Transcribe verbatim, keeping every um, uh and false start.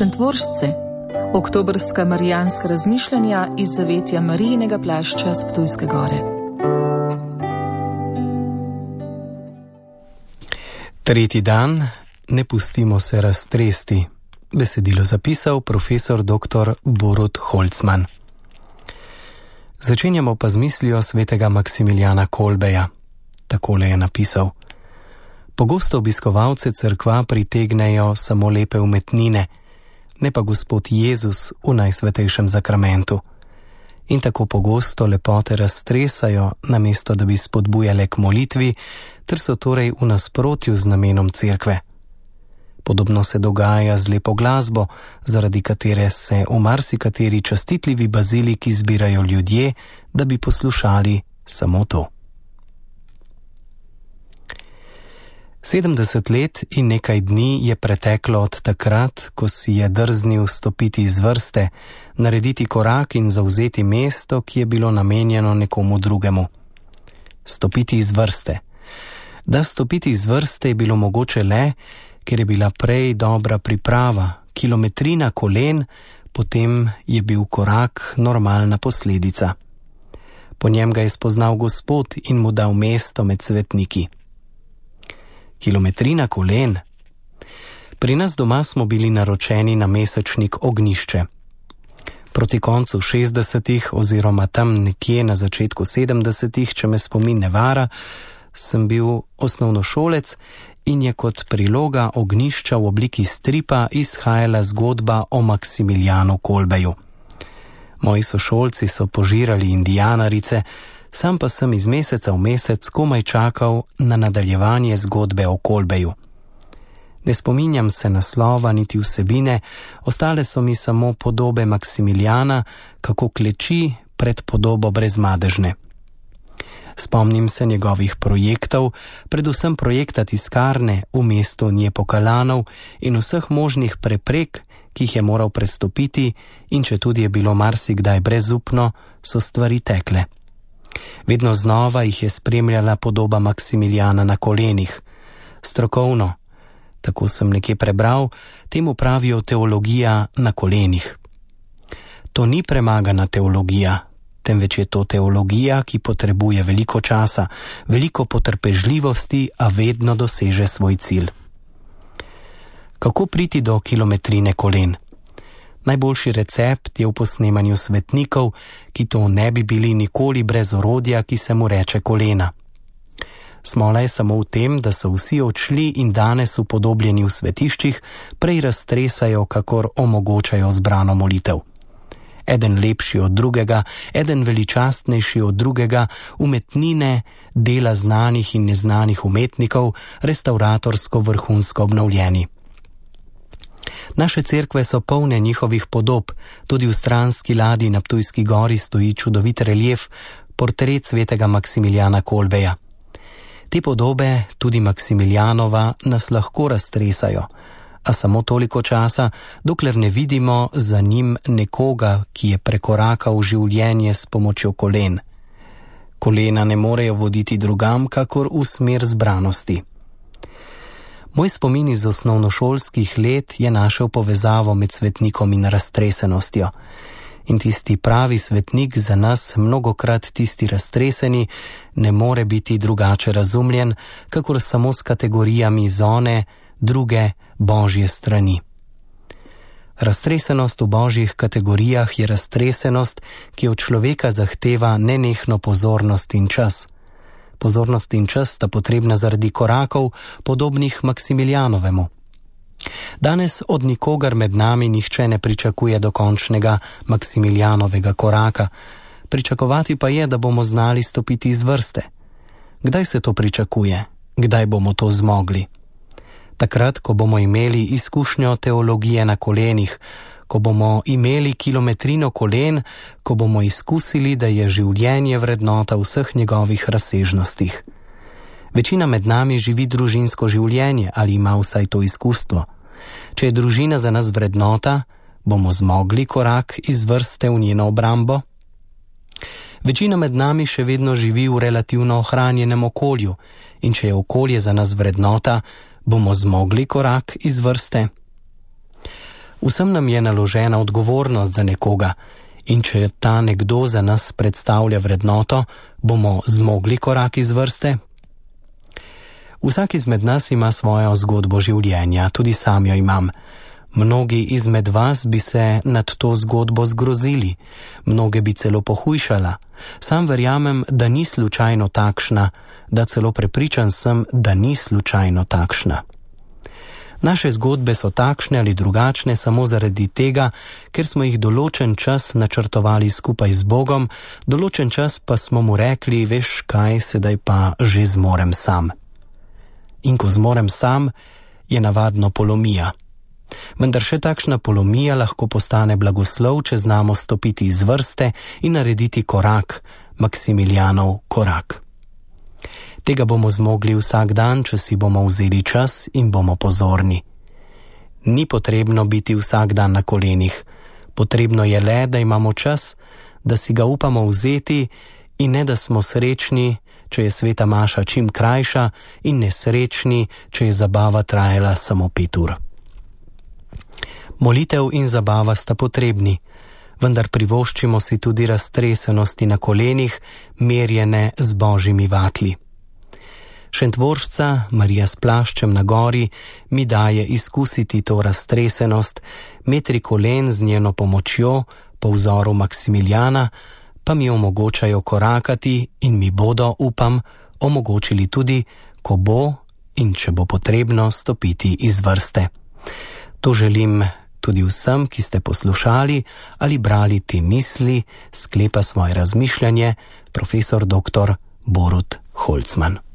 Šentvoržce, oktobrska marijanska razmišljanja iz zavetja Marijinega plašča s Ptujske gore. Tretji dan, ne pustimo se raztresti. Besedilo zapisal profesor doktor Borut Holcman. Začenjamo pa z mislijo svetega Maksimilijana Kolbeja. Takole je napisal: Pogosto obiskovalce cerkva pritegnejo samo lepe umetnine, ne pa Gospod Jezus v najsvetejšem zakramentu. In tako pogosto lepote raztresajo, namesto da bi spodbujale k molitvi, ter so torej v nasprotju z namenom cerkve. Podobno se dogaja z lepo glasbo, zaradi katere se v marsikateri častitljivi baziliki zbirajo ljudje, da bi poslušali samo to. Sedemdeset let in nekaj dni je preteklo od takrat, ko si je drznil stopiti iz vrste, narediti korak in zavzeti mesto, ki je bilo namenjeno nekomu drugemu. Stopiti iz vrste. Da stopiti iz vrste je bilo mogoče le, ker je bila prej dobra priprava, kilometrina kolen, potem je bil korak normalna posledica. Po njem ga je spoznal Gospod in mu dal mesto med svetniki. Kilometrina kolen. Pri nas doma smo bili naročeni na mesečnik Ognjišče. Proti koncu šestdesetih oziroma tam nekje na začetku sedemdesetih, če me spomin ne vara, sem bil osnovnošolec in je kot priloga Ognjišča v obliki stripa izhajala zgodba o Maksimilijanu Kolbeju. Moji sošolci so požirali indijanarice, sam pa sem iz meseca v mesec komaj čakal na nadaljevanje zgodbe o Kolbeju. Ne spominjam se naslova niti vsebine, ostale so mi samo podobe Maksimilijana, kako kleči pred podobo brezmadežne. Spomnim se njegovih projektov, predvsem projekta tiskarne v mestu Njepokalanov in vseh možnih preprek, ki jih je moral prestopiti, in če tudi je bilo marsikdaj brezupno, so stvari tekle. Vedno znova jih je spremljala podoba Maksimilijana na kolenih. Strokovno, tako sem nekje prebral, temu pravijo teologija na kolenih. To ni premagana teologija, temveč je to teologija, ki potrebuje veliko časa, veliko potrpežljivosti, a vedno doseže svoj cilj. Kako priti do kilometrine kolen? Najboljši recept je v posnemanju svetnikov, ki to ne bi bili nikoli brez orodja, ki se mu reče kolena. Smola je samo v tem, da so vsi odšli in danes upodobljeni v svetiščih prej raztresajo, kakor omogočajo zbrano molitev. Eden lepši od drugega, eden veličastnejši od drugega, umetnine, dela znanih in neznanih umetnikov, restauratorsko vrhunsko obnovljeni. Naše cerkve so polne njihovih podob, tudi v stranski ladji na Ptujski gori stoji čudovit relief, portret svetega Maksimilijana Kolbeja. Te podobe, tudi Maksimilijanova, nas lahko raztresajo, a samo toliko časa, dokler ne vidimo za njim nekoga, ki je prekorakal življenje s pomočjo kolen. Kolena ne morejo voditi drugam, kakor v smer zbranosti. Moj spomin iz osnovnošolskih let je našel povezavo med svetnikom in raztresenostjo. In tisti pravi svetnik, za nas mnogokrat tisti raztreseni, ne more biti drugače razumljen, kakor samo s kategorijami zone, druge, božje strani. Raztresenost v božjih kategorijah je raztresenost, ki od človeka zahteva nenehno pozornost in čas. Pozornost in čas sta potrebna zaradi korakov, podobnih Maksimilijanovemu. Danes od nikogar med nami nihče ne pričakuje dokončnega Maksimilijanovega koraka, pričakovati pa je, da bomo znali stopiti iz vrste. Kdaj se to pričakuje? Kdaj bomo to zmogli? Takrat, ko bomo imeli izkušnjo teologije na kolenih, ko bomo imeli kilometrino kolen, ko bomo izkusili, da je življenje vrednota vseh njegovih razsežnostih. Večina med nami živi družinsko življenje ali ima vsaj to izkustvo. Če je družina za nas vrednota, bomo zmogli korak iz vrste v njeno obrambo? Večina med nami še vedno živi v relativno ohranjenem okolju in če je okolje za nas vrednota, bomo zmogli korak iz vrste? Vsem nam je naložena odgovornost za nekoga in če ta nekdo za nas predstavlja vrednoto, bomo zmogli korak iz vrste? Vsak izmed nas ima svojo zgodbo življenja, tudi sam jo imam. Mnogi izmed vas bi se nad to zgodbo zgrozili, mnoge bi celo pohujšala. Sam verjamem, da ni slučajno takšna, da celo prepričan sem, da ni slučajno takšna. Naše zgodbe so takšne ali drugačne samo zaradi tega, ker smo jih določen čas načrtovali skupaj z Bogom, določen čas pa smo mu rekli, veš kaj, sedaj pa že zmorem sam. In ko zmorem sam, je navadno polomija. Vendar še takšna polomija lahko postane blagoslov, če znamo stopiti iz vrste in narediti korak, Maksimilijanov korak. Tega bomo zmogli vsak dan, če si bomo vzeli čas in bomo pozorni. Ni potrebno biti vsak dan na kolenih, potrebno je le, da imamo čas, da si ga upamo vzeti in ne da smo srečni, če je sveta maša čim krajša in nesrečni, če je zabava trajala samo pet ur. Molitev in zabava sta potrebni, vendar privoščimo si tudi raztresenosti na kolenih, merjene z božjimi vatli. Šentvoržca, Marija s plaščem na gori, mi daje izkusiti to raztresenost, metri kolen z njeno pomočjo, po vzoru Maksimilijana, pa mi omogočajo korakati in mi bodo, upam, omogočili tudi, ko bo in če bo potrebno stopiti iz vrste. To želim tudi vsem, ki ste poslušali ali brali te misli, sklepa svoje razmišljanje profesor doktor Borut Holcman.